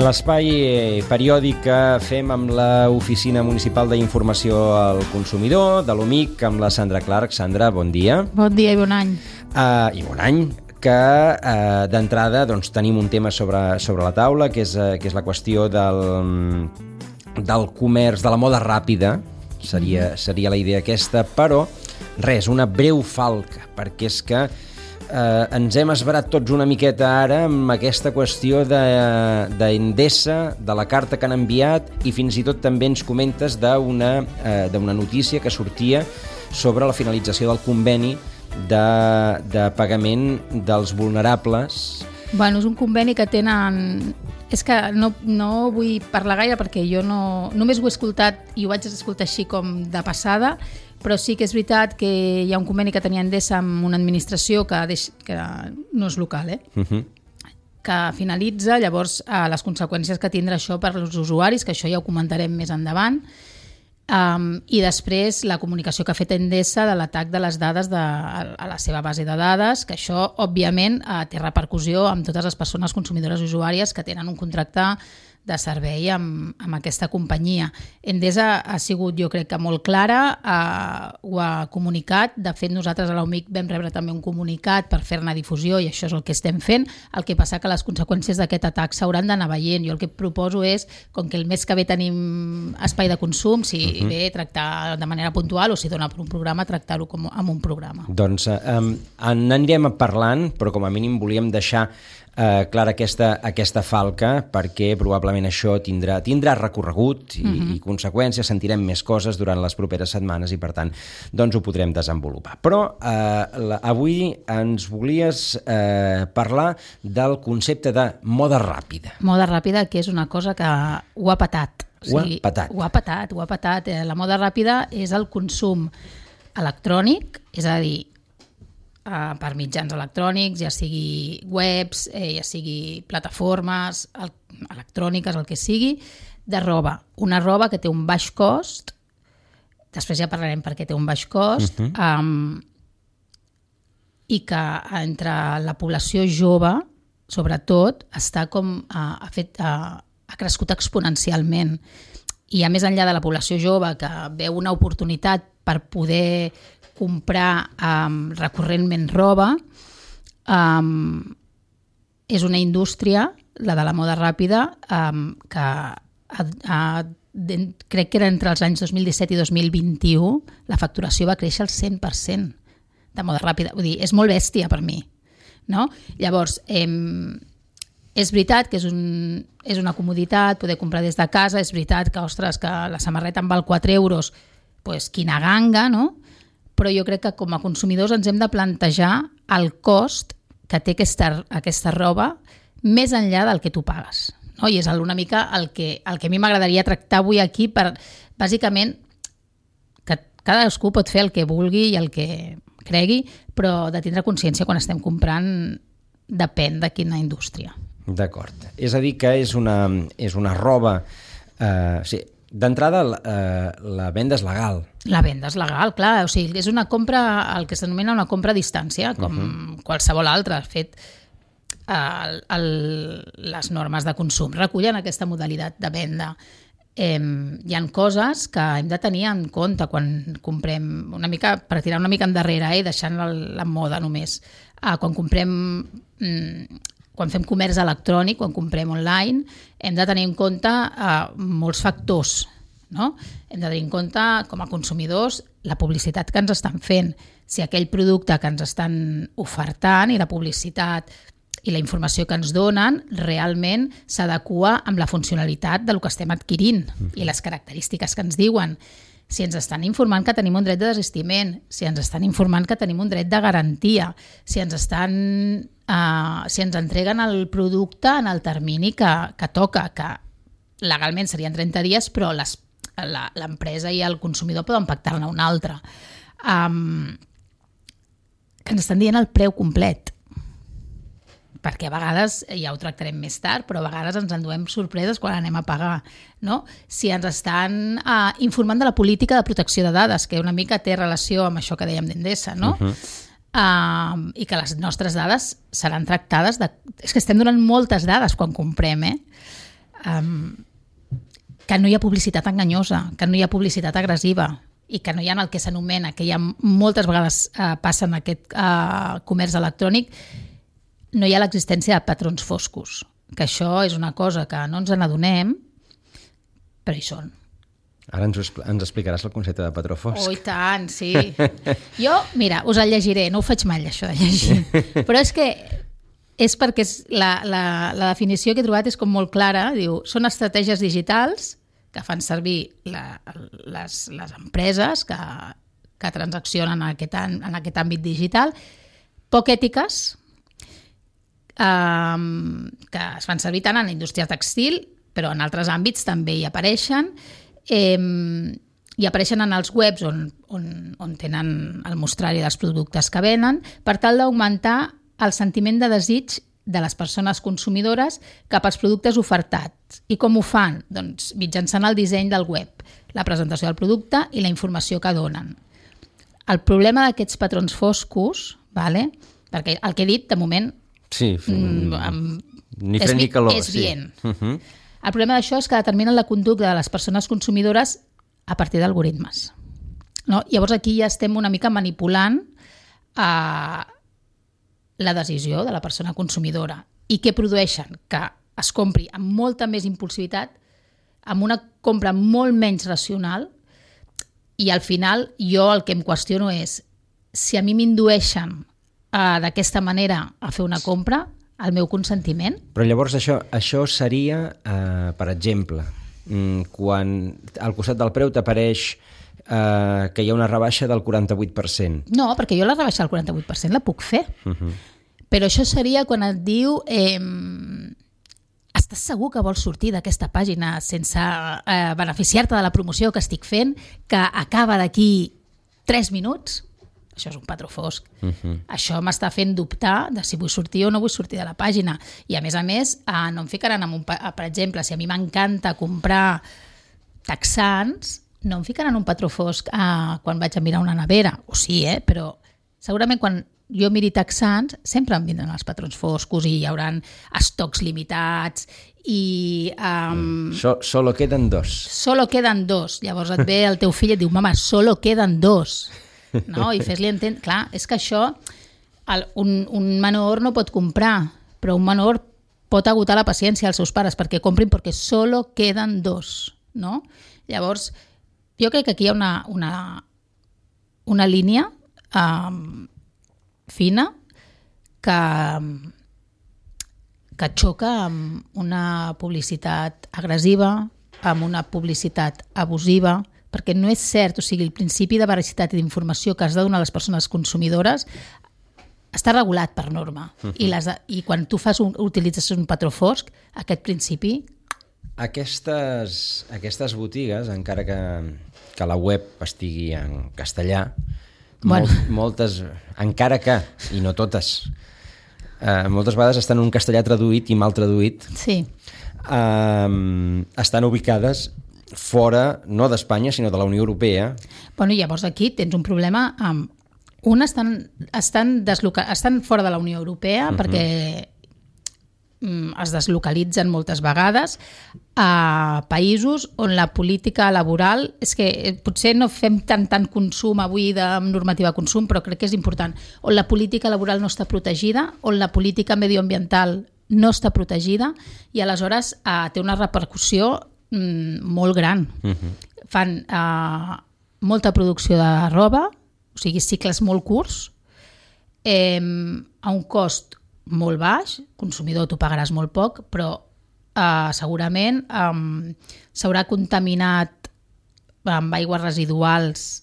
L'espai periòdic que fem amb l'Oficina Municipal d'Informació al Consumidor, de l'OMIC, amb la Sandra Clark. Sandra, bon dia. Bon dia i bon any. I bon any, que d'entrada doncs, tenim un tema sobre la taula, que és la qüestió del comerç, de la moda ràpida, seria la idea aquesta, però res, una breu falca, perquè és que ens hem esverat tots una miqueta ara amb aquesta qüestió d'Endesa, de la carta que han enviat, i fins i tot també ens comentes d'una notícia que sortia sobre la finalització del conveni de pagament dels vulnerables. Bueno, és un conveni que tenen... És que no vull parlar gaire perquè jo només ho he escoltat i ho vaig escoltar així com de passada, però sí que és veritat que hi ha un conveni que tenia Endesa amb una administració que no és local, que finalitza, llavors les conseqüències que tindrà això per als usuaris, que això ja ho comentarem més endavant, i després la comunicació que ha fet Endesa de l'atac de les dades a la seva base de dades, que això òbviament té repercussió amb totes les persones consumidores i usuàries que tenen un contracte de servei amb aquesta companyia. Endesa ha sigut, jo crec que molt clara, ho ha comunicat. De fet, nosaltres a l'OMIC vam rebre també un comunicat per fer-ne difusió i això és el que estem fent. El que passa que les conseqüències d'aquest atac s'hauran d'anar veient. Jo el que proposo és, com que el mes que ve tenim espai de consum, si ve tractar de manera puntual o si dona per un programa, tractar-ho com amb un programa. Doncs n'anirem parlant, però com a mínim volíem deixar clara aquesta falca, perquè probablement això tindrà recorregut i conseqüències, sentirem més coses durant les properes setmanes i per tant doncs ho podrem desenvolupar. Però avui ens volies parlar del concepte de moda ràpida. Moda ràpida, que és una cosa que ho ha patat. Ho ha patat. La moda ràpida és el consum electrònic, és a dir, per mitjans electrònics, ja sigui webs, ja sigui plataformes electròniques, el que sigui, de roba. Una roba que té un baix cost, després ja parlarem per què té un baix cost, i que entre la població jove, sobretot, està ha crescut exponencialment. I a més enllà de la població jove, que veu una oportunitat per poder comprar recurrentment roba, és una indústria, la de la moda ràpida, que crec que era entre els anys 2017 i 2021 la facturació va créixer al 100% de moda ràpida. Vull dir, és molt bèstia per mi, no? Llavors, és veritat que és una comoditat poder comprar des de casa, és veritat que, ostres, que la samarreta en val 4 euros, doncs quina ganga, no? Però jo crec que com a consumidors ens hem de plantejar el cost que té aquesta roba més enllà del que tu pagues. No? I és una mica el que a mi m'agradaria tractar avui aquí, per bàsicament que cadascú pot fer el que vulgui i el que cregui, però de tindre consciència quan estem comprant depèn de quina indústria. D'acord. És a dir, que és una roba... Sí. D'entrada, la venda és legal. La venda és legal, clar. O sigui, és una compra, el que s'anomena una compra a distància, com qualsevol altra. De fet, les normes de consum recullen aquesta modalitat de venda. Hi ha coses que hem de tenir en compte quan comprem, una mica per tirar una mica endarrere, deixant la moda només. Quan fem comerç electrònic, quan comprem online, hem de tenir en compte molts factors, no? Hem de tenir en compte, com a consumidors, la publicitat que ens estan fent. Si aquell producte que ens estan ofertant i la publicitat i la informació que ens donen realment s'adequa amb la funcionalitat del que estem adquirint i les característiques que ens diuen. Si ens estan informant que tenim un dret de desistiment, si ens estan informant que tenim un dret de garantia, si ens entreguen el producte en el termini que toca, que legalment serien 30 dies, però l'empresa i el consumidor poden pactar-ne un altre. Que ens estan dient el preu complet. Perquè a vegades, ja ho tractarem més tard, però a vegades ens enduem sorpreses quan anem a pagar, no? Si ens estan informant de la política de protecció de dades, que una mica té relació amb això que dèiem d'Endesa, no? I que les nostres dades seran tractades és que estem donant moltes dades quan comprem, que no hi ha publicitat enganyosa, que no hi ha publicitat agressiva i que no hi ha el que s'anomena, que ja moltes vegades passa en aquest comerç electrònic, no hi ha l'existència de patrons foscos, que això és una cosa que no ens n'adonem, però hi són. Ara ens explicaràs el concepte de patró fosc. Oh, i tant, sí. Jo, mira, us el llegiré, no ho faig mai, això de llegir. Però és que és perquè la definició que he trobat és com molt clara. Diu, són estratègies digitals que fan servir les empreses que transaccionen en aquest àmbit digital, poc ètiques, que es fan servir tant en la indústria textil, però en altres àmbits també hi apareixen, i apareixen en els webs on tenen el mostrari dels productes que venen, per tal d'augmentar el sentiment de desig de les persones consumidores cap als productes ofertats. I com ho fan? Doncs mitjançant el disseny del web, la presentació del producte i la informació que donen. El problema d'aquests patrons foscos, perquè el que he dit, de moment, sí, ni fred ni calor. És bien. El problema d'això és que determinen la conducta de les persones consumidores a partir d'algoritmes. No? Llavors aquí ja estem una mica manipulant la decisió de la persona consumidora. I què produeixen? Que es compri amb molta més impulsivitat, amb una compra molt menys racional, i al final jo el que em qüestiono és si a mi m'indueixen d'aquesta manera a fer una compra, el meu consentiment. Però llavors això seria, per exemple, quan al costat del preu t'apareix que hi ha una rebaixa del 48%. No, perquè jo la rebaixa del 48% la puc fer. Però això seria quan et diu estàs segur que vols sortir d'aquesta pàgina sense beneficiar-te de la promoció que estic fent, que acaba d'aquí 3 minuts? Això és un patró fosc. Això m'està fent dubtar de si vull sortir o no vull sortir de la pàgina. I a més, no em ficaran per exemple, si a mi m'encanta comprar texans, no em ficaran un patró fosc quan vaig a mirar una nevera. O sí, però segurament quan jo miri texans sempre em vindran els patrons foscos i hi haurà estocs limitats i... Solo queden 2. Solo queden 2. Llavors et ve el teu fill i et diu, mama, solo queden 2. No? I fes-li entendre... Clar, és que això un menor no pot comprar, però un menor pot agotar la paciència als seus pares perquè comprin perquè solo queden 2. No? Llavors, jo crec que aquí hi ha una línia fina que xoca amb una publicitat agressiva, amb una publicitat abusiva, perquè no és cert, o sigui, el principi de veracitat i d'informació que has de donar a les persones consumidores està regulat per norma. I quan tu utilitzes un patró fosc, aquest principi... Aquestes botigues, encara que la web estigui en castellà, moltes, encara que, i no totes, moltes vegades estan en un castellà traduït i mal traduït, sí. Estan ubicades fora, no d'Espanya, sinó de la Unió Europea. Bueno, llavors aquí tens un problema amb... estan fora de la Unió Europea perquè es deslocalitzen moltes vegades a països on la política laboral... És que potser no fem tant consum avui de normativa de consum, però crec que és important. On la política laboral no està protegida, on la política medioambiental no està protegida, i aleshores té una repercussió molt gran. Fan molta producció de roba, o sigui, cicles molt curts, a un cost molt baix, consumidor tu pagaràs molt poc, però segurament s'haurà contaminat amb aigües residuals.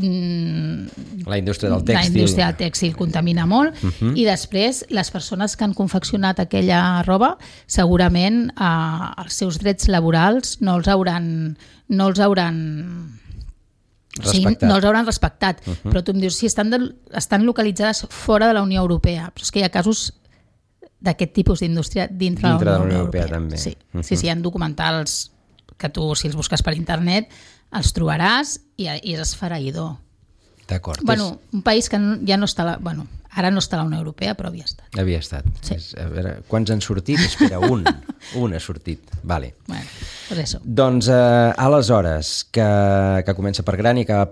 La indústria del tèxtil. La indústria del tèxtil contamina molt, i després les persones que han confeccionat aquella roba segurament els seus drets laborals no els hauran respectat. Però tu em dius, si estan localitzades fora de la Unió Europea, però és que hi ha casos d'aquest tipus d'indústria dintre de la Unió Europea. També. Sí, hi ha documentals que tu, si els busques per internet, els trobaràs i és esfereïdor. D'acord. Bueno, un país que ja no està... Ara no està a la Unió Europea, però havia estat. Havia estat. Sí. A veure, quants han sortit? Espera, un. Un ha sortit. Vale. Bueno, pues eso. Doncs aleshores, que comença per gran i que va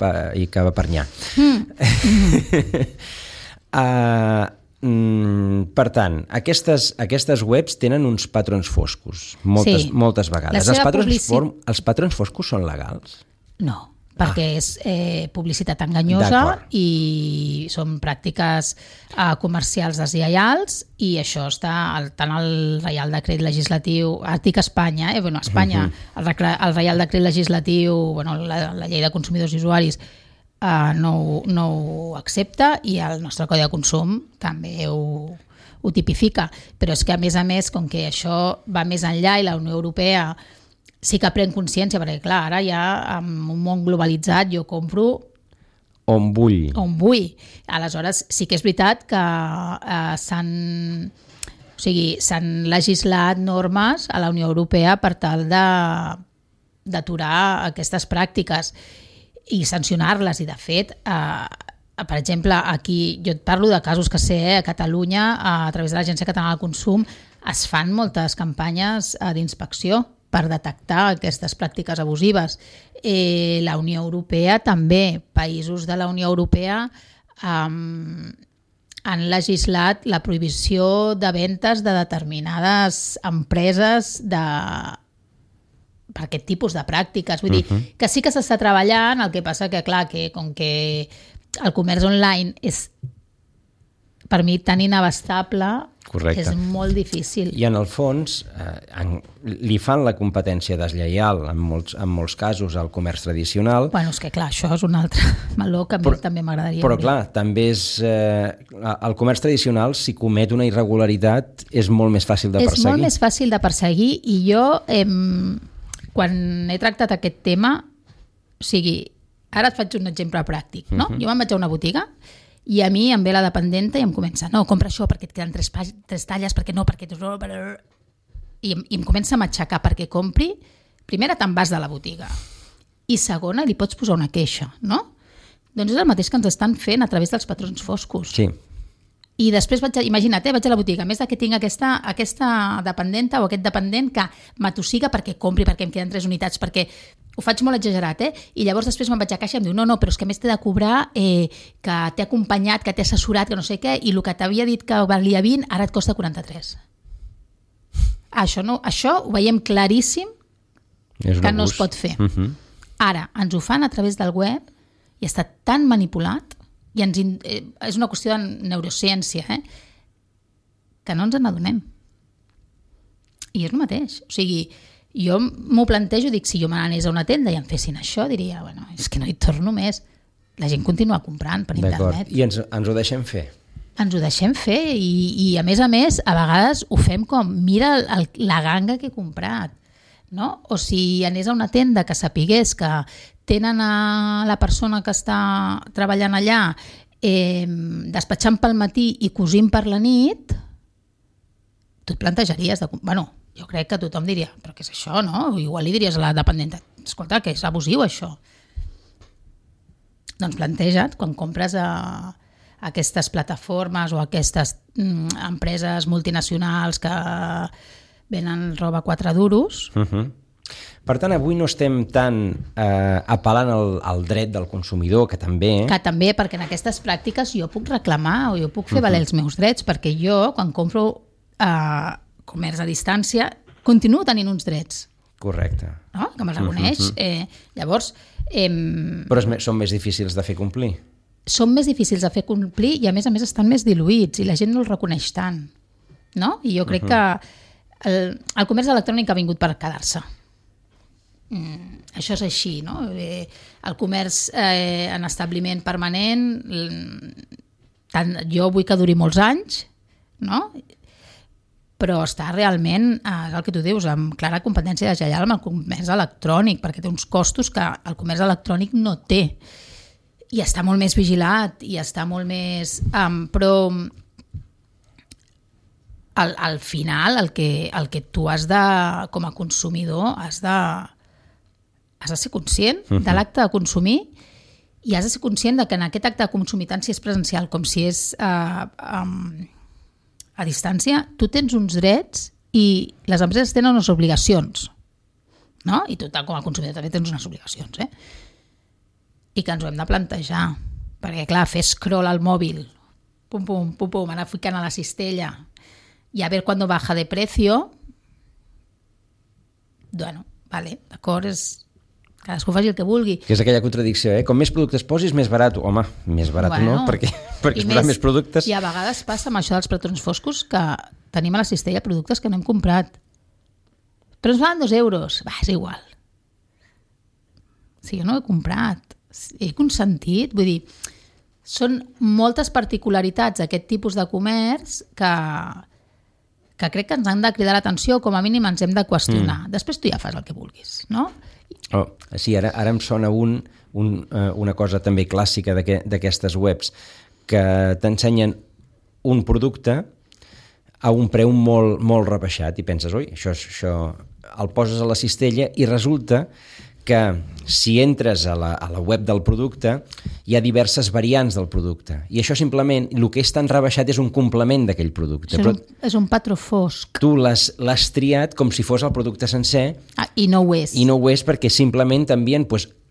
per nyà. Per tant, aquestes webs tenen uns patrons foscos, moltes vegades. Els patrons foscos són legals? No, perquè és publicitat enganyosa i són pràctiques comercials deslleials i això està tant al Reial Decret Legislatiu, artic Espanya, Espanya, el Reial Decret Legislatiu, la Llei de Consumidors i Usuaris no ho accepta i el nostre Codi de Consum també ho tipifica, però és que a més, com que això va més enllà i la Unió Europea sí que pren consciència, perquè clar, ara ja en un món globalitzat jo compro on vull. Aleshores sí que és veritat que s'han legislat normes a la Unió Europea per tal d'aturar aquestes pràctiques i sancionar-les, i de fet per exemple, aquí jo et parlo de casos que sé, a Catalunya a través de l'Agència Catalana del Consum es fan moltes campanyes d'inspecció per detectar aquestes pràctiques abusives. La Unió Europea també, països de la Unió Europea han legislat la prohibició de ventes de determinades empreses per aquest tipus de pràctiques. Vull dir que sí que s'està treballant, el que passa que, clar, que com que el comerç online és per mi tan inabastable, correcte, és molt difícil. I en el fons li fan la competència deslleial en molts casos al comerç tradicional. Bueno, és que clar, això és un altre meló que a mi també m'agradaria. Però clar, també és... el comerç tradicional, si comet una irregularitat, és molt més fàcil de perseguir. És molt més fàcil de perseguir i jo, quan he tractat aquest tema, o sigui, ara et faig un exemple pràctic, no? Jo me'n vaig a una botiga i a mi em ve la dependenta i em comença, no, compra això perquè et queden tres talles, perquè no, perquè... I em comença a matxacar perquè compri. Primera, te'n vas de la botiga. I segona, li pots posar una queixa, no? Doncs és el mateix que ens estan fent a través dels patrons foscos. Sí. I després, imagina't, vaig a la botiga, a més que tinc aquesta dependenta o aquest dependent que m'atossiga perquè compri, perquè em queden 3 unitats, perquè ho faig molt exagerat, i llavors després me'n vaig a caixa i em diu, no, però és que a més t'he de cobrar que t'he acompanyat, que t'he assessorat, que no sé què, i el que t'havia dit que valia 20, ara et costa 43. Això ho veiem claríssim que no es pot fer. Ara, ens ho fan a través del web i està tan manipulat i és una qüestió de neurociència, que no ens n'adonem. I és el mateix. O sigui, jo m'ho plantejo, dic, si jo me n'anés a una tenda i em fessin això, diria, bueno, és que no hi torno més. La gent continua comprant per internet. I ens ho deixem fer. Ens ho deixem fer i a més, a vegades ho fem com, mira la ganga que he comprat. No? O si anés a una tenda que sapigués que tenen a la persona que està treballant allà despatxant pel matí i cosint per la nit, tu et plantejaries jo crec que tothom diria, però què és això, no? Igual li diries a la dependenta, escolta, que és abusiu això. Doncs planteja't, quan compres a aquestes plataformes o aquestes empreses multinacionals que venen roba 4 duros. Per tant, avui no estem tan apel·lant al dret del consumidor, que també... Que també, perquè en aquestes pràctiques jo puc reclamar o jo puc fer valer els meus drets, perquè jo, quan compro comerç a distància, continuo tenint uns drets. Correcte. No? Que me'ls reconeix. Llavors... Però són més difícils de fer complir. Són més difícils de fer complir i, a més estan més diluïts i la gent no els reconeix tant. No? I jo crec que el comerç electrònic ha vingut per quedar-se. Això és així, no? El comerç en establiment permanent, jo vull que duri molts anys, no? Però està realment, el que tu dius, amb clara competència deslleial amb el comerç electrònic, perquè té uns costos que el comerç electrònic no té. I està molt més vigilat, i està molt més... Però al final el que tu has de, com a consumidor, has de ser conscient de l'acte de consumir I has de ser conscient de que en aquest acte de consumir, tant si és presencial com si és a distància, tu tens uns drets i les empreses tenen unes obligacions, no? I tu com a consumidor també tens unes obligacions, I que ens ho hem de plantejar, perquè clar, fer scroll al mòbil, pum, pum, pum, pum, anar ficant a la cistella i a ver cuándo baja de precio, bueno, vale, d'acord, cadascú faci el que vulgui. Que és aquella contradicció, Com més productes posis, més barat. Home, més barat no, perquè es posaran més productes. I a vegades passa amb això dels patrons foscos que tenim a la cistella productes que no hem comprat. Però ens valen 2 euros. Va, és igual. Si jo no he comprat, he consentit, vull dir, són moltes particularitats d'aquest tipus de comerç que crec que ens han de cridar l'atenció, com a mínim ens hem de qüestionar. Després tu ja fas el que vulguis, no? Sí, ara em sona una cosa també clàssica d'aquestes webs, que t'ensenyen un producte a un preu molt, molt rebaixat i penses, oi, això el poses a la cistella i resulta que si entres a la web del producte hi ha diverses variants del producte i això simplement, el que és tan rebaixat és un complement d'aquell producte. És un patró fosc. Tu l'has triat com si fos el producte sencer i no ho és. I no ho és perquè simplement t'envien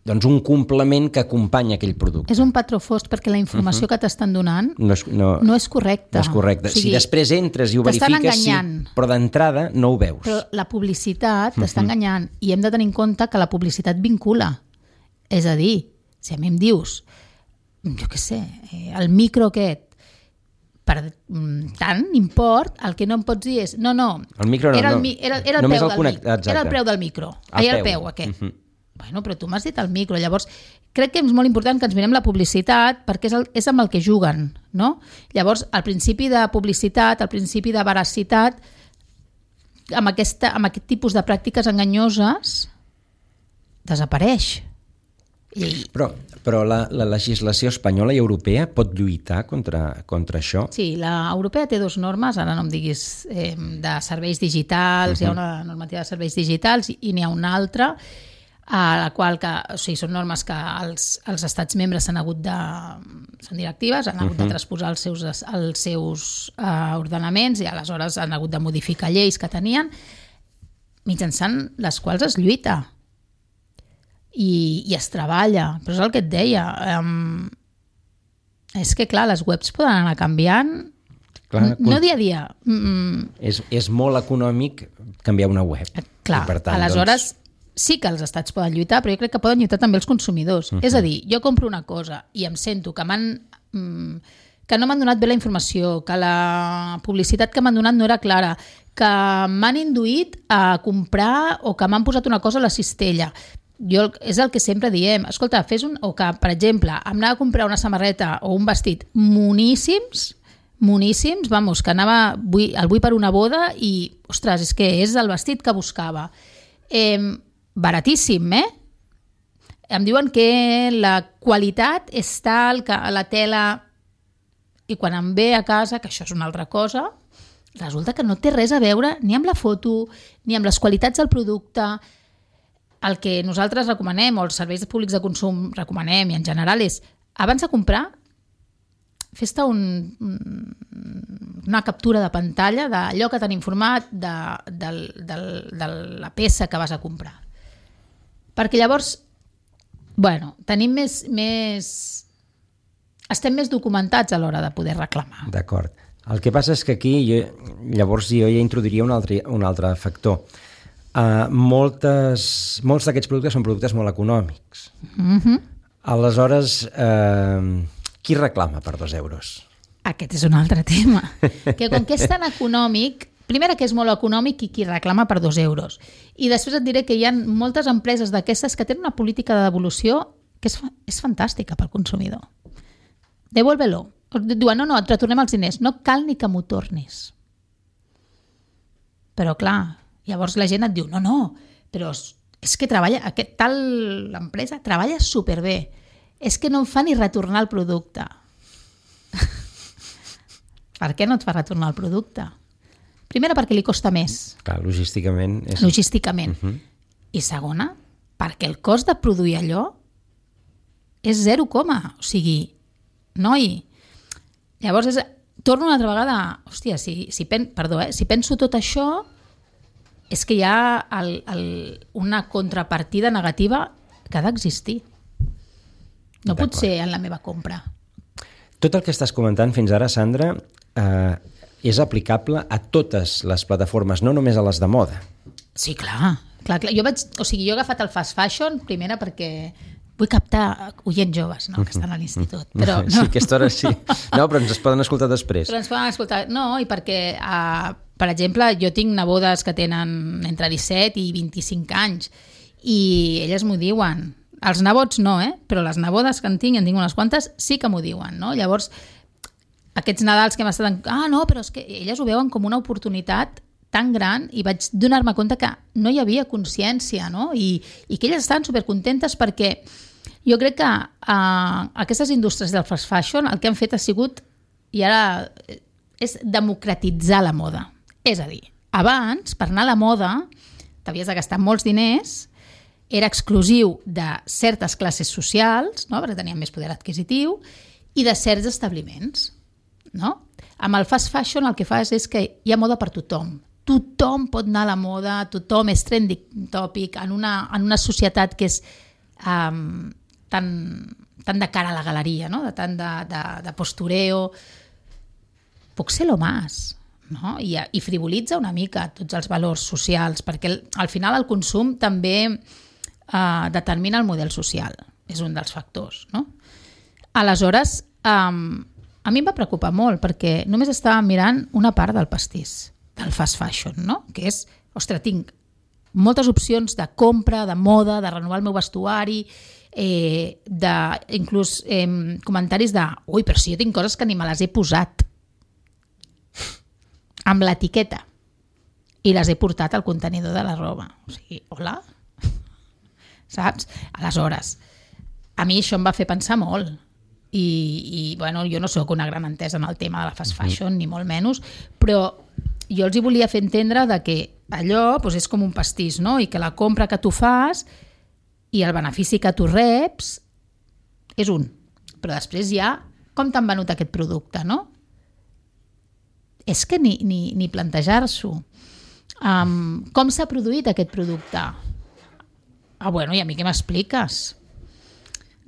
un complement que acompanya aquell producte. És un patró fosc perquè la informació que t'estan donant no és correcta. No és correcta. O sigui, si després entres i ho verifiques, sí, però d'entrada no ho veus. Però la publicitat t'està enganyant i hem de tenir en compte que la publicitat vincula. És a dir, si a mi em dius, jo què sé, el micro aquest, per tant import, el que no em pots dir és no, el micro no, era el preu del micro. Era el peu aquest. Bueno, però tu m'has dit el micro, llavors crec que és molt important que ens mirem la publicitat perquè és amb el que juguen, no? Llavors, el principi de publicitat, el principi de veracitat, amb aquest tipus de pràctiques enganyoses, desapareix. Però la legislació espanyola i europea pot lluitar contra això? Sí, l'europea té 2 normes, ara no em diguis de serveis digitals, hi ha una normativa de serveis digitals i n'hi ha una altra, a la qual són normes que els estats membres són directives, han hagut de transposar els seus ordenaments i aleshores han hagut de modificar lleis que tenien, mitjançant les quals es lluita i es treballa. Però és el que et deia, és que clar, les webs poden anar canviant, no dia a dia. És molt econòmic canviar una web. Clar, aleshores sí que els estats poden lluitar, però jo crec que poden lluitar també els consumidors. És a dir, jo compro una cosa i em sento que no m'han donat bé la informació, que la publicitat que m'han donat no era clara, que m'han induït a comprar o que m'han posat una cosa a la cistella. És el que sempre diem. Escolta, o que, per exemple, em anava a comprar una samarreta o un vestit moníssims, vamos, que el vull per una boda i, ostres, és que és el vestit que buscava. Baratíssim, Em diuen que la qualitat és tal, que la tela... I quan em ve a casa, que això és una altra cosa, resulta que no té res a veure ni amb la foto, ni amb les qualitats del producte. El que nosaltres recomanem, o els serveis públics de consum recomanem, i en general és, abans de comprar, fes-te una captura de pantalla d'allò que t'han informat de la peça que vas a comprar. Perquè llavors, tenim estem més documentats a l'hora de poder reclamar. D'acord. El que passa és que aquí llavors jo ja introduiria un altre factor. Molts d'aquests productes són productes molt econòmics. Aleshores, qui reclama per 2 euros? Aquest és un altre tema. Que com que és tan econòmic, primera que és molt econòmic i qui reclama per 2 euros. I després et diré que hi ha moltes empreses d'aquestes que tenen una política de devolució que és fantàstica pel consumidor. Devuélvelo. Diuen, no, et retornem els diners. No cal ni que m'ho tornis. Però clar, llavors la gent et diu, no, però és que l'empresa treballa superbé. És que no em fa ni retornar el producte. Per què no et fa retornar el producte? Primera, perquè li costa més. Clar, logísticament. I segona, perquè el cost de produir allò és 0, o sigui, noi. Llavors, torno una altra vegada, hòstia, si penso tot això, és que hi ha una contrapartida negativa que ha d'existir. No pot ser en la meva compra. Tot el que estàs comentant fins ara, Sandra, és aplicable a totes les plataformes, no només a les de moda. Sí, clar. Jo he agafat el fast fashion, primera perquè vull captar oients joves, no?, que estan a l'institut. Però no. Sí, aquesta hora sí. No, però ens es poden escoltar després. Però ens poden escoltar. No, i perquè, per exemple, jo tinc nebodes que tenen entre 17 i 25 anys i elles m'ho diuen. Els nebots no, però les nebodes que en tinc unes quantes, sí que m'ho diuen, no? Llavors, aquests Nadals que hem estat... no, però és que elles ho veuen com una oportunitat tan gran i vaig donar-me compte que no hi havia consciència, no? I que elles estaven supercontentes perquè jo crec que aquestes indústries del fast fashion el que han fet ha sigut, i ara és democratitzar la moda. És a dir, abans, per anar a la moda, t'havies de gastar molts diners, era exclusiu de certes classes socials, no?, perquè tenien més poder adquisitiu, i de certs establiments, no? Amb el fast fashion el que fas és que hi ha moda per tothom. Tothom pot anar a la moda, tothom és trending topic en una societat que és tan de cara a la galeria, no?, tant de postureo. Puc ser lo más, no? I frivolitza una mica tots els valors socials, perquè al final el consum també determina el model social, és un dels factors, no? Aleshores, a mi em va preocupar molt, perquè només estava mirant una part del pastís, del fast fashion, no? Que és, ostres, tinc moltes opcions de compra, de moda, de renovar el meu vestuari, inclús comentaris de ui, però si jo tinc coses que ni me les he posat amb l'etiqueta i les he portat al contenidor de la roba. O sigui, hola? Saps? Aleshores, a mi això em va fer pensar molt. I bueno, jo no sóc una gran entesa en el tema de la fast fashion, ni molt menys, però jo els hi volia fer entendre de que allò doncs, és com un pastís, no? I que la compra que tu fas i el benefici que tu reps és un. Però després hi ha com t'han venut aquest producte, no? És que ni plantejar-s'ho. Com s'ha produït aquest producte? Bueno, i a mi què m'expliques?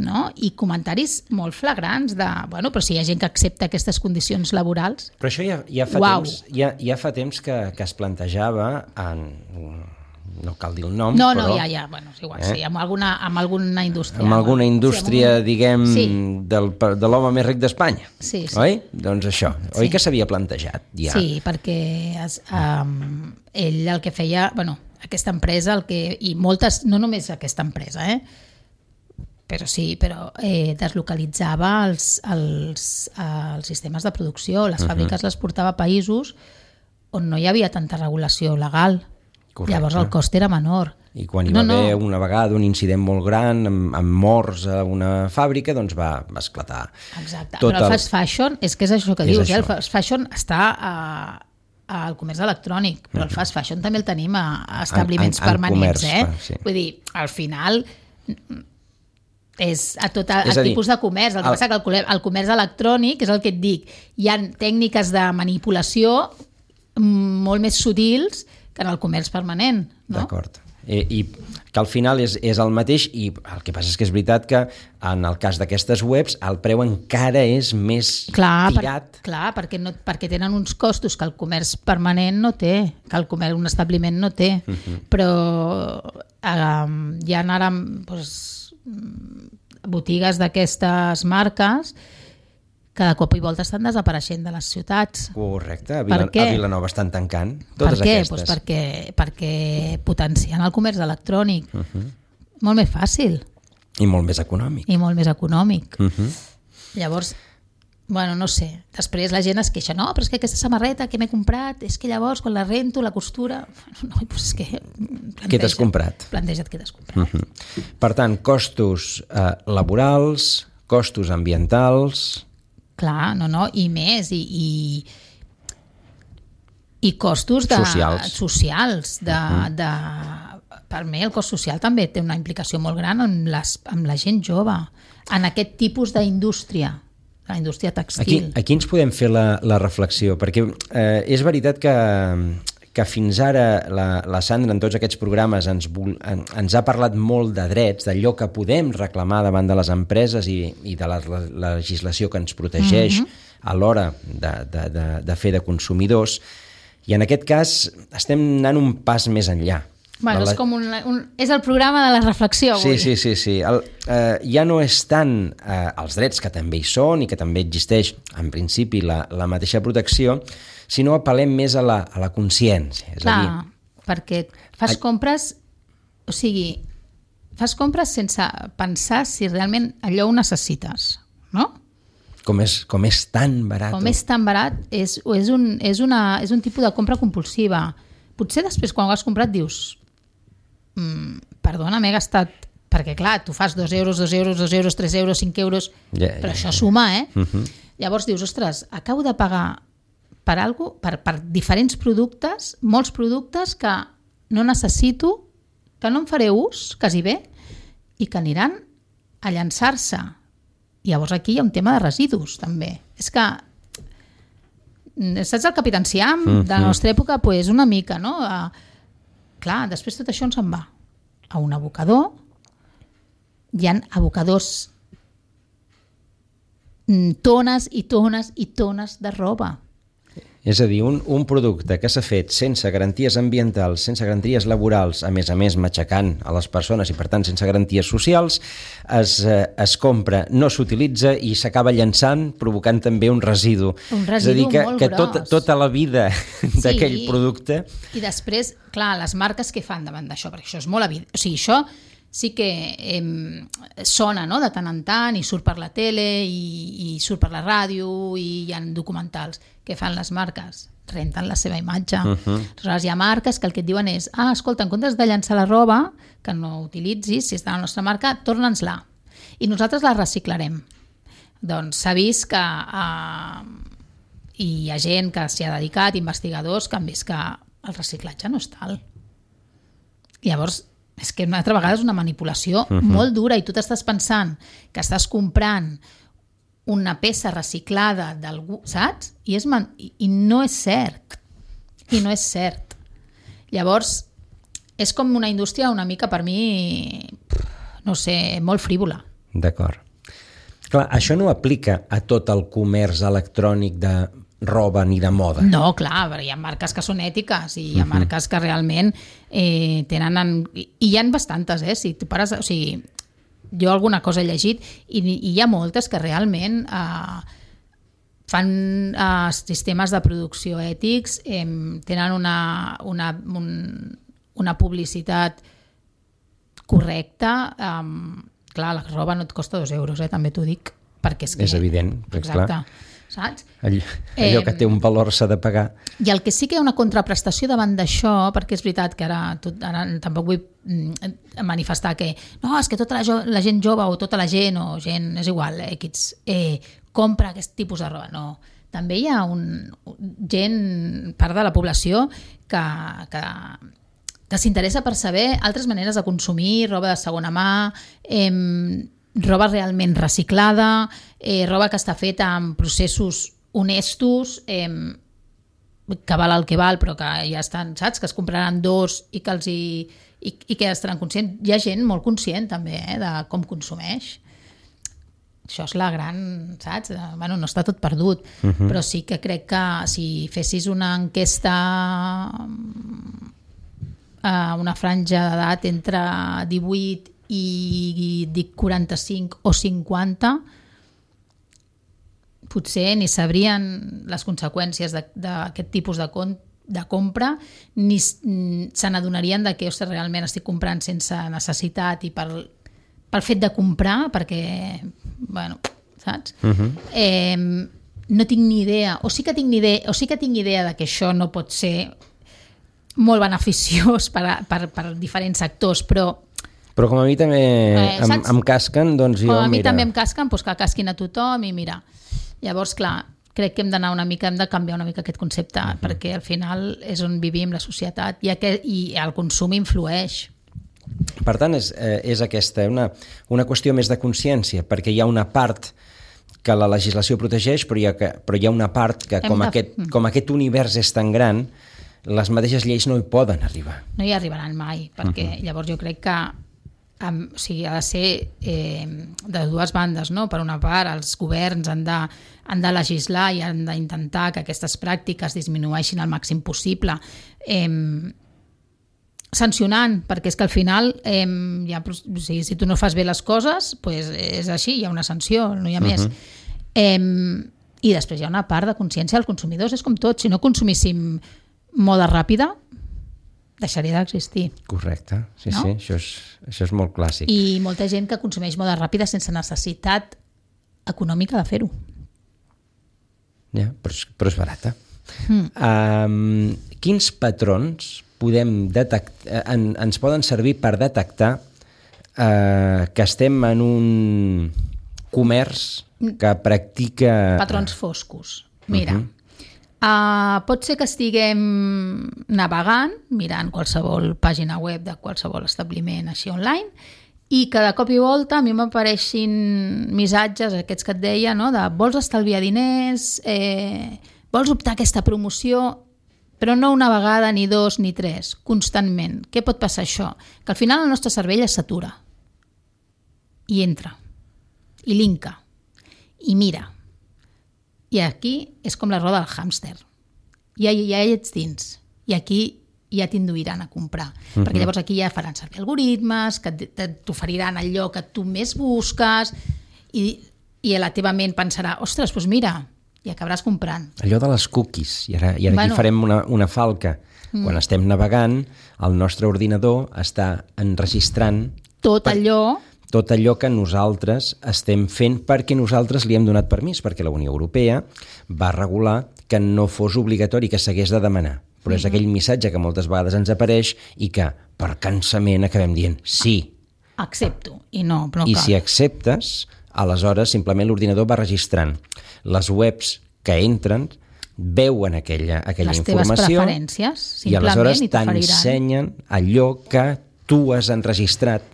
No? I comentaris molt flagrants de, bueno, però si hi ha gent que accepta aquestes condicions laborals... Però això ja fa temps que es plantejava no cal dir el nom, però... No, ja, bueno, és igual, sí, amb alguna indústria. Amb alguna indústria, diguem, de l'home més ric d'Espanya, sí. Oi? Doncs això, oi que s'havia plantejat ja? Sí, perquè ell el que feia, bueno, aquesta empresa, i moltes, no només aquesta empresa, però deslocalitzava els sistemes de producció, les fàbriques les portava a països on no hi havia tanta regulació legal. Correcte. Llavors el cost era menor. I quan hi va haver una vegada un incident molt gran amb morts a una fàbrica, doncs va esclatar. Exacte, però el fast fashion és que és això que dius, el fast fashion està al comerç electrònic, però el fast fashion també el tenim a establiments permanents, sí. Vull dir, al final és a tot el tipus de comerç. El que passa que el comerç electrònic és el que et dic, hi ha tècniques de manipulació molt més sutils que en el comerç permanent, no? D'acord. I que al final és el mateix, i el que passa és que és veritat que en el cas d'aquestes webs el preu encara és més tirat. Clar, perquè tenen uns costos que el comerç permanent no té, que un establiment no té. Però hi ha ara botigues d'aquestes marques que de cop i volta estan desapareixent de les ciutats. Correcte, a Vilanova estan tancant totes aquestes. Doncs perquè potencien el comerç electrònic. Molt més fàcil. I molt més econòmic. Llavors, bueno, no sé. Després la gent es queixa, no, però és que aquesta samarreta que m'he comprat, és que llavors quan la rento, la costura... No, doncs és que... Què t'has comprat? Planteja't què t'has comprat. Per tant, costos laborals, costos ambientals... Clar, i més, i costos socials, per mi el cost social també té una implicació molt gran amb la gent jove, en aquest tipus d'indústria, la indústria textil. Aquí ens podem fer la reflexió, perquè és veritat que fins ara la Sandra en tots aquests programes ens ha parlat molt de drets, d'allò que podem reclamar davant de les empreses i de la legislació que ens protegeix a l'hora de fer de consumidors, i en aquest cas estem anant un pas més enllà. Bueno, és el programa de la reflexió avui. Sí. Ja no és tant els drets, que també hi són i que també existeix en principi la mateixa protecció, sinó apel·lem més a la consciència. Clar, perquè fas compres, o sigui, fas compres sense pensar si realment allò ho necessites, no? Com és tan barat. Com és tan barat, és un tipus de compra compulsiva. Potser després, quan ho has comprat, dius perdona, m'he gastat... Perquè, clar, tu fas 2 euros, 2 euros, 2 euros, 3 euros, 5 euros, però això suma, Llavors dius, ostres, acabo de pagar per alguna cosa, per diferents productes, molts productes que no necessito, que no en faré ús, quasi bé, i que aniran a llançar-se. Llavors aquí hi ha un tema de residus, també. És que, saps el Capitán Siam de la nostra època? Pues una mica, no? Clar, després tot això ens en va a un abocador. Hi ha abocadors, tones i tones i tones de roba. És a dir, un producte que s'ha fet sense garanties ambientals, sense garanties laborals, a més matxacant a les persones i, per tant, sense garanties socials, es compra, no s'utilitza i s'acaba llançant, provocant també un residu. Un residu molt gros. Tota la vida d'aquell producte... I després, clar, les marques què fan davant d'això? Perquè això és molt evident. O sigui, això sí que sona, no?, de tant en tant, i surt per la tele, i surt per la ràdio, i hi ha documentals. Què fan les marques? Renten la seva imatge. Aleshores, hi ha marques que el que et diuen és escolta, en comptes de llançar la roba, que no utilitzis, si està a la nostra marca, torna'ns-la. I nosaltres la reciclarem. Doncs s'ha vist que hi ha gent que s'hi ha dedicat, investigadors, que han vist que el reciclatge no és tal. Llavors, és que una altra vegada és una manipulació molt dura, i tu t'estàs pensant que estàs comprant una peça reciclada d'algú, saps? I no és cert. I no és cert. Llavors, és com una indústria una mica, per mi, no sé, molt frívola. D'acord. Clar, això no aplica a tot el comerç electrònic de roba ni de moda. No, clar, però hi ha marques que són ètiques i hi ha marques que realment tenen... I hi ha bastantes, si tu pares... O sigui, jo alguna cosa he llegit i hi ha moltes que realment fan sistemes de producció ètics, tenen una publicitat correcta. Clar, la roba no et costa 2 euros, també t'ho dic, perquè és evident. Exacte. Clar. Saps? Allò que té un valor s'ha de pagar. I el que sí que hi ha una contraprestació davant d'això, perquè és veritat que ara tampoc vull manifestar que no, és que tota la gent jove o tota la gent, o gent, és igual, compra aquest tipus de roba. No. També hi ha part de la població que s'interessa per saber altres maneres de consumir, roba de segona mà, roba realment reciclada, roba que està feta amb processos honestos, que val el que val, però que ja estan, saps? Que es compraran 2 i que estaran conscients. Hi ha gent molt conscient també de com consumeix. Això és la gran, saps? Bueno, no està tot perdut, però sí que crec que si fessis una enquesta a una franja d'edat entre 18 i dic 45 o 50, potser ni sabrien les conseqüències d'aquest tipus de compra, ni se n'adonarien de que realment estic comprant sense necessitat i pel fet de comprar, perquè, bueno, saps? No tinc ni idea, o sí que tinc idea de que això no pot ser molt beneficiós per diferents sectors, però com a mi també em casquen, doncs jo, mira... Com a mi també em casquen, doncs que casquin a tothom i mira. Llavors, clar, crec que hem de canviar una mica aquest concepte, perquè al final és on vivim, la societat, i el consum influeix. Per tant, és aquesta, una qüestió més de consciència, perquè hi ha una part que la legislació protegeix, però hi ha una part que, com aquest univers és tan gran, les mateixes lleis no hi poden arribar. No hi arribaran mai, perquè llavors jo crec que ha de ser de dues bandes, no? Per una part, els governs han de legislar i han d'intentar que aquestes pràctiques disminueixin al màxim possible, sancionant, perquè és que al final si tu no fas bé les coses, pues és així, hi ha una sanció, no hi ha més. I després hi ha una part de consciència dels consumidors, és com tot, si no consumíssim moda ràpida, deixaria d'existir. Correcte, sí, no? Sí, això és molt clàssic. I molta gent que consumeix moda ràpida sense necessitat econòmica de fer-ho. Ja, però és barata. Quins patrons ens poden servir per detectar que estem en un comerç que practica... Patrons foscos. Mira, pot ser que estiguem navegant, mirant qualsevol pàgina web de qualsevol establiment així online, i que de cop i volta a mi m'apareixin missatges, aquests que et deia, no? De vols estalviar diners, vols optar a aquesta promoció, però no una vegada, ni dos, ni tres, constantment. Què pot passar això? Que al final el nostre cervell es satura i entra, i linka, i mira. I aquí és com la roda del hàmster. Ja ets dins. I aquí ja t'induiran a comprar. Perquè llavors aquí ja faran servir algoritmes, que t'oferiran allò que tu més busques, i a la teva ment pensarà, ostres, doncs mira, i acabaràs comprant. Allò de les cookies. I ara aquí farem una falca. Quan estem navegant, el nostre ordinador està enregistrant tot allò que nosaltres estem fent perquè nosaltres li hem donat permís, perquè la Unió Europea va regular que no fos obligatori, que s'hagués de demanar. Però és aquell missatge que moltes vegades ens apareix i que, per cansament, acabem dient sí. Accepto. I no cal. I si acceptes, aleshores simplement l'ordinador va registrant. Les webs que entren veuen aquella informació. Les teves preferències, simplement, i aleshores t'ensenyen allò que tu has enregistrat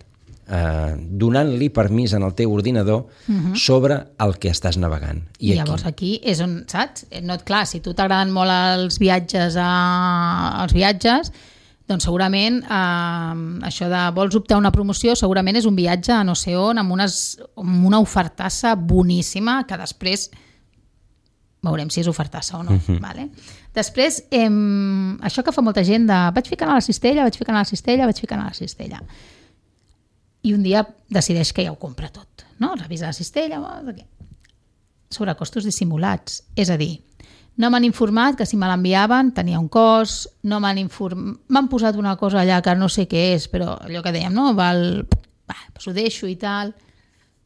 donant-li permís en el teu ordinador sobre el que estàs navegant. I llavors aquí és on, saps? Clar, si tu t'agraden molt els viatges, doncs segurament això de vols optar a una promoció segurament és un viatge a no sé on amb una ofertassa boníssima que després veurem si és ofertassa o no. Vale? Després, això que fa molta gent de vaig ficant a la cistella, i un dia decideix que ja ho compra tot, no? Revisa la cistella, sobrecostos dissimulats, és a dir, no m'han informat que si me l'enviaven tenia un cost, m'han posat una cosa allà que no sé què és, però allò que dèiem, no? Doncs ho deixo i tal.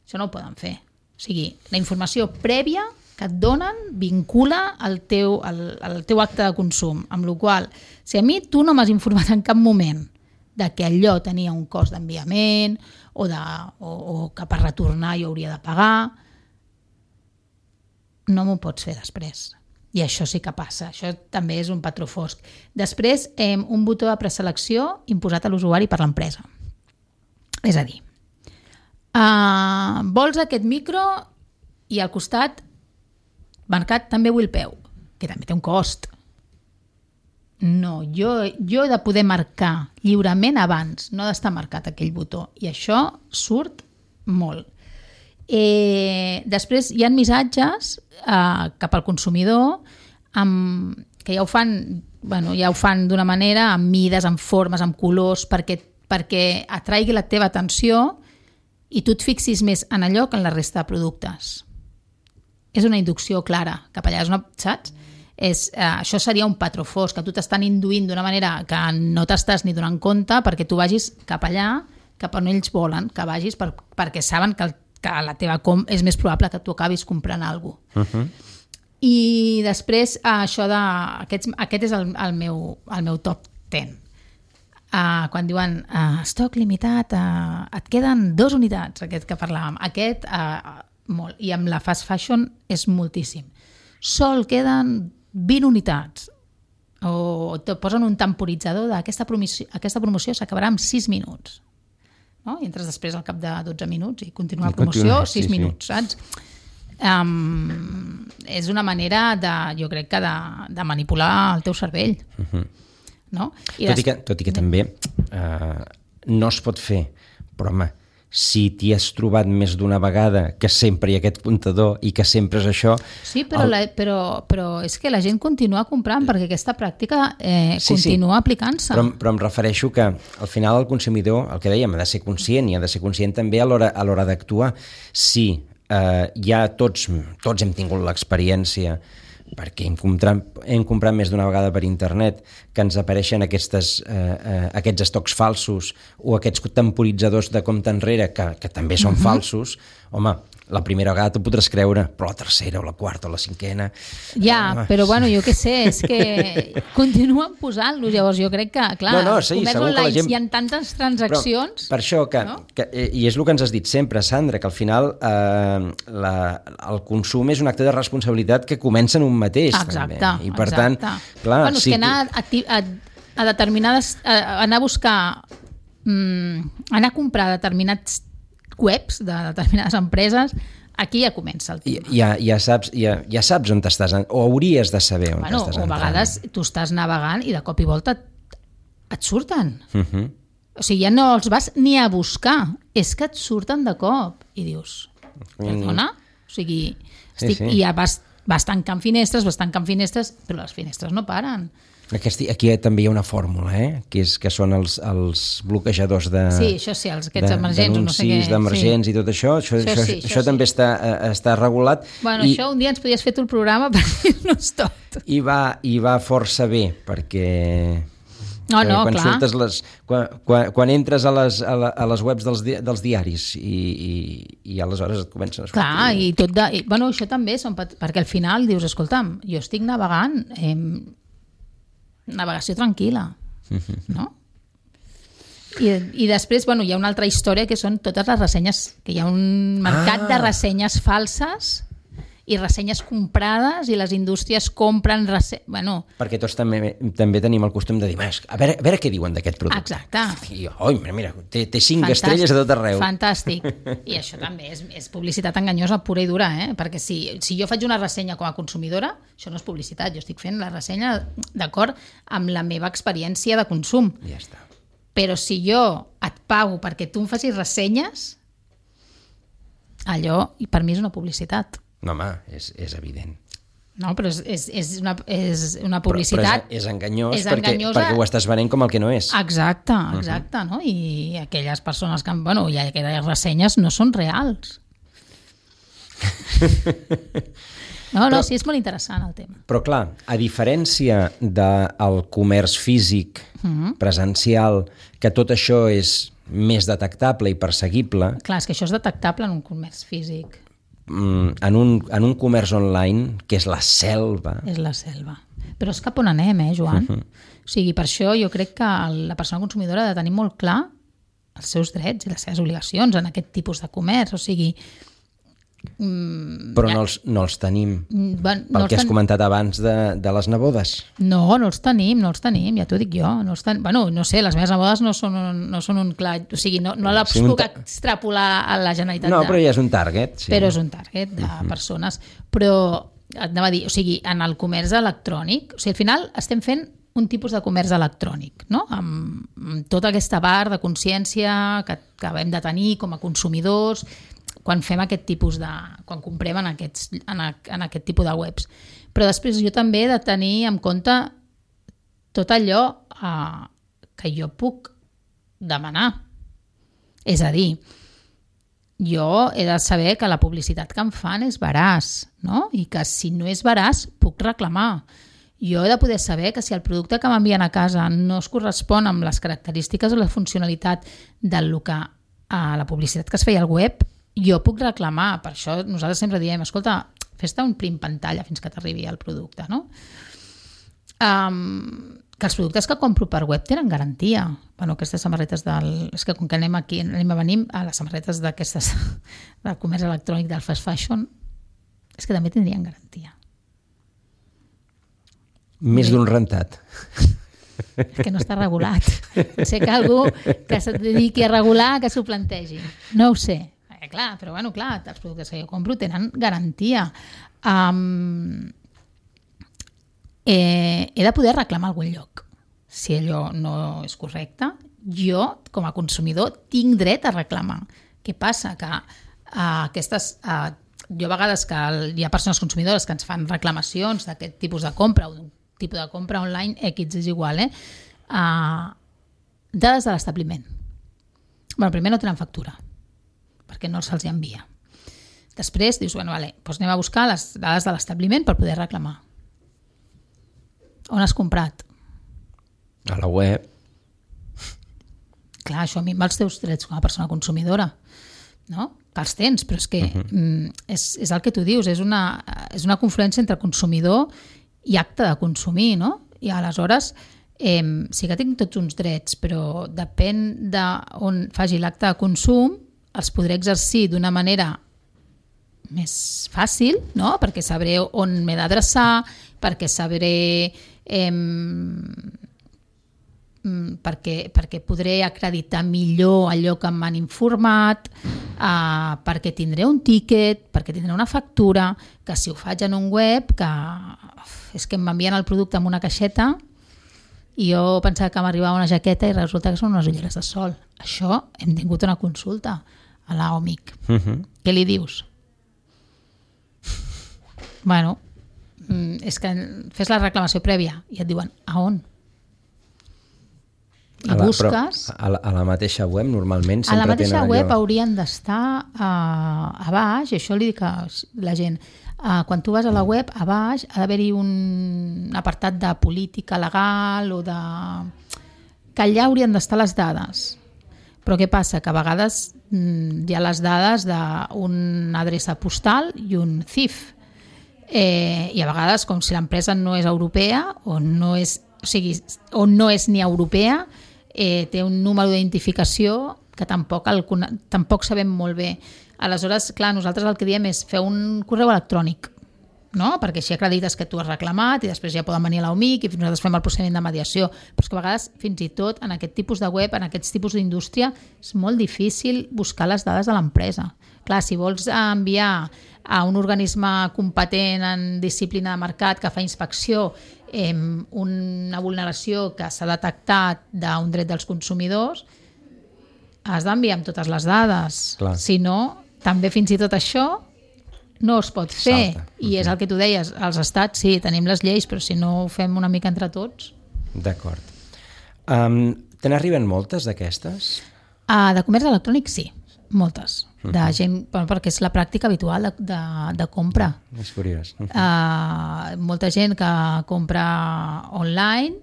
Això no ho poden fer. O sigui, la informació prèvia que et donen vincula al teu acte de consum, amb la qual cosa, si a mi tu no m'has informat en cap moment de que allò tenia un cost d'enviament o que per retornar jo hauria de pagar, no m'ho pots fer després. I això sí que passa, això també és un patró fosc. Després, un botó de preselecció imposat a l'usuari per l'empresa. És a dir, vols aquest micro i al costat marcat també vull el peu, que també té un cost. No, jo he de poder marcar lliurement abans, no d'estar marcat aquell botó. I això surt molt. Després hi ha missatges cap al consumidor que ja ho fan d'una manera, amb mides, amb formes, amb colors, perquè atraigui la teva atenció i tu et fixis més en allò que en la resta de productes. És una inducció clara cap allà, saps? Això seria un patró fosc, que tu t'estan induint d'una manera que no t'estàs ni donant compte perquè tu vagis cap allà, cap on ells volen que vagis, perquè saben que la teva és més probable que tu acabis comprant alguna cosa. I després aquest és el meu top 10. Quan diuen estoc limitat, et queden 2 unitats, aquest que parlàvem, molt, i amb la fast fashion és moltíssim. Sol queden 20 unitats, o et posen un temporitzador d'aquesta promoció s'acabarà en 6 minuts. no? I entres després al cap de 12 minuts i continua la promoció 6 minuts, saps? És una manera jo crec que de manipular el teu cervell. No? Tot i que també no es pot fer, però home, si t'hi has trobat més d'una vegada que sempre hi ha aquest comptador i que sempre és això... Sí, però és que la gent continua comprant perquè aquesta pràctica continua aplicant-se. Però em refereixo que al final el consumidor, el que dèiem, ha de ser conscient i ha de ser conscient també a l'hora d'actuar. Si ja tots hem tingut l'experiència perquè hem comprat més d'una vegada per internet que ens apareixen aquests estocs falsos o aquests temporitzadors de compte enrere que també són falsos, home, la primera vegada t'ho podràs creure, però la tercera o la quarta o la cinquena... Ja, però bueno, jo què sé, és que continuen posant-los, llavors jo crec que, clar, sí, comerç online hi ha tantes transaccions... Per això, i és el que ens has dit sempre, Sandra, que al final el consum és un acte de responsabilitat que comença en un mateix. Exacte, també. I per tant, clar... Bueno, és que anar a determinades... anar a buscar... anar a comprar determinats webs de determinades empreses, aquí ja comença el tema. Ja saps on estàs, o hauries de saber on estàs entrant. O a vegades tu estàs navegant i de cop i volta et surten. O sigui, ja no els vas ni a buscar, és que et surten de cop i dius, perdona? O sigui, i ja vas tancant finestres, però les finestres no paren. Aquí també hi ha una fórmula, que són els bloquejadors aquests emergents, d'anuncis, d'emergents i tot això. Això també està regulat. Bueno, això un dia ens podies fer tu el programa per dir-nos tot. I va força bé, perquè... Quan entres a les webs dels diaris i aleshores et comencen a sortir... Clar, i tot bueno, això també, perquè al final dius, escolta'm, jo estic navegant... navegació tranquil·la, no? I després, bueno, hi ha una altra història que són totes les ressenyes, que hi ha un mercat de ressenyes falses i ressenyes comprades i les indústries compren bueno... Perquè tots també tenim el costum de dir, a veure què diuen d'aquest producte. Exacte. I mira, té 5 estrelles a tot arreu. Fantàstic. I això també és publicitat enganyosa pura i dura, perquè si jo faig una ressenya com a consumidora, això no és publicitat, jo estic fent la ressenya d'acord amb la meva experiència de consum. Ja està. Però si jo et pago perquè tu em facis ressenyes, allò per mi és una publicitat. No, home, és evident. No, però és una publicitat... Però és enganyós perquè ho estàs venent com el que no és. Exacte, no? I aquelles persones que... Bueno, i aquelles ressenyes no són reals. No, sí, és molt interessant el tema. Però clar, a diferència del comerç físic, presencial, que tot això és més detectable i perseguible... Clar, és que això és detectable en un comerç físic. En un comerç online, que és la selva. És la selva. Però és cap on anem, Joan? O sigui, per això jo crec que la persona consumidora ha de tenir molt clar els seus drets i les seves obligacions en aquest tipus de comerç. O sigui... Però no els tenim. Pel que has comentat abans de les nebodes. No els tenim, ja t'ho dic jo. Bueno, no sé, les meves nebodes no són un clar... O sigui, no les puc extrapolar a la Generalitat. No, però ja és un target. Sí. Però és un target de persones. Però, anava a dir, o sigui, en el comerç electrònic, o sigui, al final estem fent un tipus de comerç electrònic, no? Amb tota aquesta part de consciència que hem de tenir com a consumidors quan fem aquest tipus quan comprem en aquest tipus de webs. Però després jo també he de tenir en compte tot allò que jo puc demanar. És a dir, jo he de saber que la publicitat que em fan és veraç, no? I que si no és veraç puc reclamar. Jo he de poder saber que si el producte que m'envien a casa no es correspon amb les característiques o la funcionalitat del que la publicitat que es feia al web, jo puc reclamar. Per això nosaltres sempre diem, escolta, fes-te un print pantalla fins que t'arribi el producte, no? Que els productes que compro per web tenen garantia. Bueno, aquestes samarretes és que com que anem a venir a les samarretes d'aquestes del comerç electrònic del fast fashion, és que també tindrien garantia. Més d'un rentat. És que no està regulat. Potser que algú que se dediqui a regular que s'ho plantegi. No ho sé. Clar, però bueno, clar, els productes que jo compro tenen garantia. He de poder reclamar a algun lloc. Si allò no és correcte, jo, com a consumidor, tinc dret a reclamar. Què passa? Que jo a vegades que hi ha persones consumidores que ens fan reclamacions d'aquest tipus de compra o d'un tipus de compra online, X és igual, dades de l'establiment. Primer no tenen factura, perquè no se'ls envia. Després dius, doncs anem a buscar les dades de l'establiment per poder reclamar. On has comprat? A la web. Clar, això a mi amb els teus drets com a persona consumidora, no? Que els tens, però és que és el que tu dius, és una confluència entre consumidor i acte de consumir, no? I aleshores sí que tinc tots uns drets, però depèn d'on faci l'acte de consum, els podré exercir d'una manera més fàcil, no? Perquè sabré on m'he d'adreçar, perquè sabré perquè podré acreditar millor allò que m'han informat, perquè tindré un tíquet, perquè tindré una factura, que si ho faig en un web, que és que m'envien el producte en una caixeta i jo pensava que m'arribava una jaqueta i resulta que són unes ulleres de sol. Això hem tingut una consulta a l'OMIC. Què li dius? Bueno, és que fes la reclamació prèvia i et diuen a on? I busques... A la mateixa web normalment sempre a la mateixa tenen web allò... haurien d'estar a baix, i això li dic a la gent, quan tu vas a la web, a baix ha d'haver-hi un apartat de política legal o de... que allà haurien d'estar les dades. Però què passa? Que a vegades hi ha les dades d'una adreça postal i un CIF. I a vegades, com si l'empresa no és europea o no és ni europea, té un número d'identificació que tampoc sabem molt bé. Aleshores, clar, nosaltres el que diem és fer un correu electrònic, no? Perquè així acredites que tu has reclamat i després ja poden venir a l'OMIC i nosaltres fem el procediment de mediació. Però és que a vegades, fins i tot, en aquest tipus de web, en aquests tipus d'indústria, és molt difícil buscar les dades de l'empresa. Clar, si vols enviar a un organisme competent en disciplina de mercat que fa inspecció una vulneració que s'ha detectat d'un dret dels consumidors, has d'enviar amb totes les dades. Clar. Si no, també fins i tot això no es pot fer. Salta. I és el que tu deies, els estats sí, tenim les lleis, però si no ho fem una mica entre tots... D'acord. Te n'arriben moltes d'aquestes? De comerç electrònic sí, moltes. De gent, perquè és la pràctica habitual de compra. És curiós. Molta gent que compra online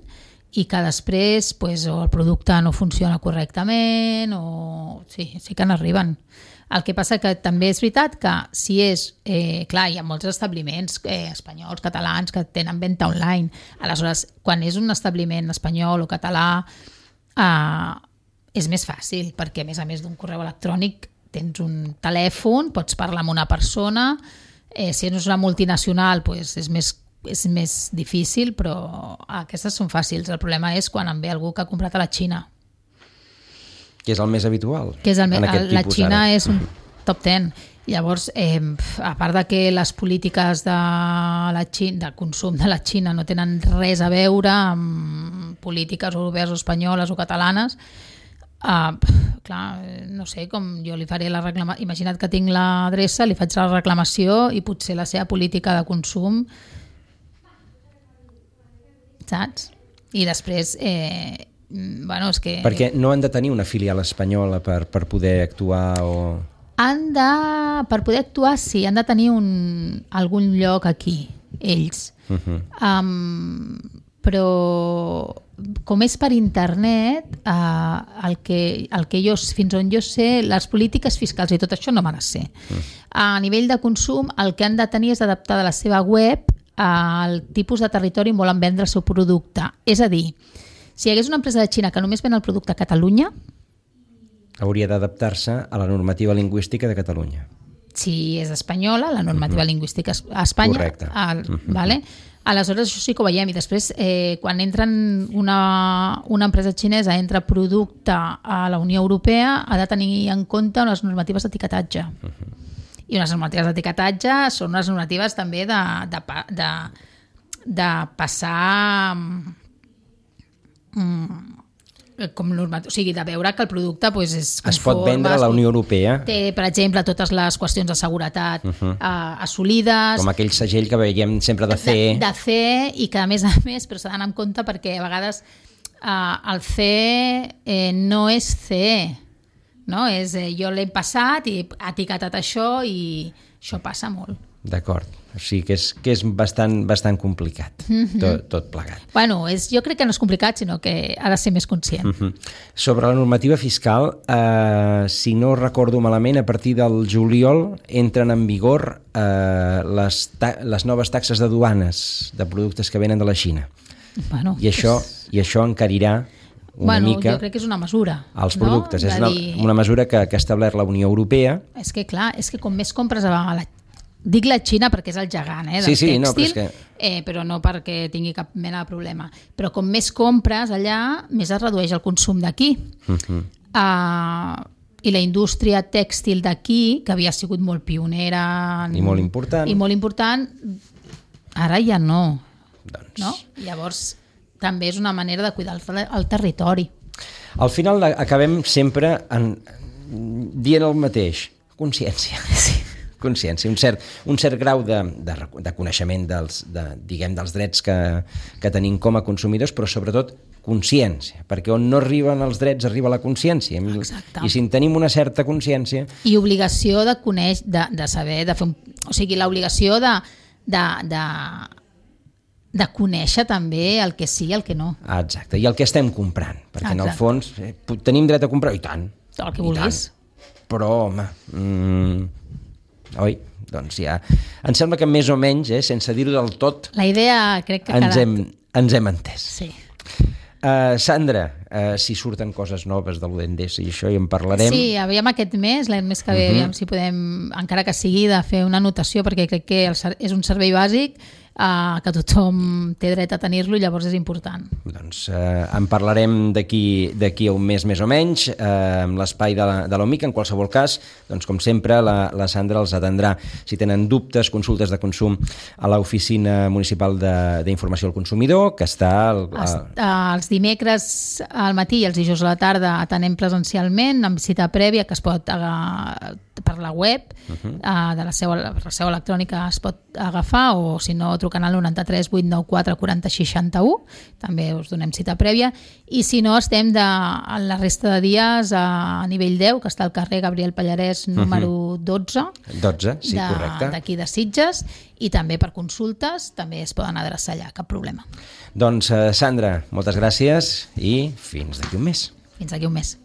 i que després o el producte no funciona correctament o sí que n'arriben. El que passa que també és veritat que si és... clar, hi ha molts establiments espanyols, catalans, que tenen venda online. Aleshores, quan és un establiment espanyol o català, és més fàcil, perquè a més d'un correu electrònic tens un telèfon, pots parlar amb una persona, si no és una multinacional és més difícil, però aquestes són fàcils. El problema és quan en ve algú que ha comprat a la Xina. Que és el més habitual. La Xina és un top 10. Llavors, a part de que les polítiques de consum de la Xina no tenen res a veure amb polítiques europees o espanyoles o catalanes, clar, no sé, com jo li faré la reclamació, imagina't que tinc l'adreça, li faig la reclamació i potser la seva política de consum, saps? I després és que... Perquè no han de tenir una filial espanyola per poder actuar o... Per poder actuar sí, han de tenir algun lloc aquí, ells. Però com és per internet, el que fins on jo sé, les polítiques fiscals i tot això no m'ha de ser. A nivell de consum, el que han de tenir és adaptar de la seva web al tipus de territori on volen vendre el seu producte. És a dir, si hi hagués una empresa de Xina que només ven el producte a Catalunya, hauria d'adaptar-se a la normativa lingüística de Catalunya. Si és espanyola, la normativa lingüística a Espanya. Correcte. Vale? Aleshores, això sí que ho veiem. I després, quan una empresa xinesa entra producte a la Unió Europea, ha de tenir en compte unes normatives d'etiquetatge. I unes normatives d'etiquetatge són unes normatives també de passar... o sigui, de veure que el producte és conforme, es pot vendre a la Unió Europea. Té, per exemple, totes les qüestions de seguretat assolides. Com aquell segell que veiem sempre de CE. De CE, i que a més, però s'ha d'anar en compte perquè a vegades el CE no és CE, no? Jo l'he passat i he etiquetat això i això passa molt. D'acord, o sigui que és bastant complicat, tot plegat. Bueno, jo crec que no és complicat, sinó que ha de ser més conscient. Sobre la normativa fiscal, si no recordo malament, a partir del juliol entren en vigor les noves taxes de duanes de productes que venen de la Xina. Bueno, I això encarirà una mica... Jo crec que és una mesura. Els productes, és una mesura que ha establert la Unió Europea. És que clar, com més compres dic la Xina perquè és el gegant del tèxtil, no, però no perquè tingui cap mena de problema. Però com més compres allà, més es redueix el consum d'aquí. I la indústria tèxtil d'aquí, que havia sigut molt pionera i molt important, ara ja no. Doncs... no? Llavors, també és una manera de cuidar el territori. Al final acabem sempre dient el mateix. Consciència. Sí. Consciència, un cert grau de coneixement dels drets que tenim com a consumidors, però sobretot consciència, perquè on no arriben els drets arriba la consciència. Exacte. I si en tenim una certa consciència... I obligació de conèixer, de saber, de fer o sigui, l'obligació de conèixer també el que sí i el que no. Exacte, i el que estem comprant, perquè en el fons tenim dret a comprar, i tant. El que vulguis. Però, home... Oi? Doncs ja... Em sembla que més o menys, sense dir-ho del tot, la idea crec que ens hem entès. Sí. Sandra, si surten coses noves de l'Udendesa i això, i en parlarem. Sí, aviam aquest mes, l'any més que ve, aviam si podem, encara que sigui, de fer una anotació, perquè crec que és un servei bàsic que tothom té dret a tenir-lo i llavors és important. Doncs en parlarem d'aquí a un mes més o menys, amb l'espai de l'OMIC. En qualsevol cas, doncs, com sempre, la Sandra els atendrà si tenen dubtes, consultes de consum a l'Oficina Municipal d'Informació al Consumidor, que està... Els dimecres al matí i els dijous a la tarda atenem presencialment amb cita prèvia que es pot per la web de la seu electrònica es pot agafar, o si no trucant al 93 894 40 61, també us donem cita prèvia, i si no estem la resta de dies a nivell 10, que està al carrer Gabriel Pallarès número 12 sí, correcte, d'aquí de Sitges, i també per consultes també es poden adreçar allà, cap problema. Doncs Sandra, moltes gràcies i fins d'aquí un mes. Fins d'aquí un mes.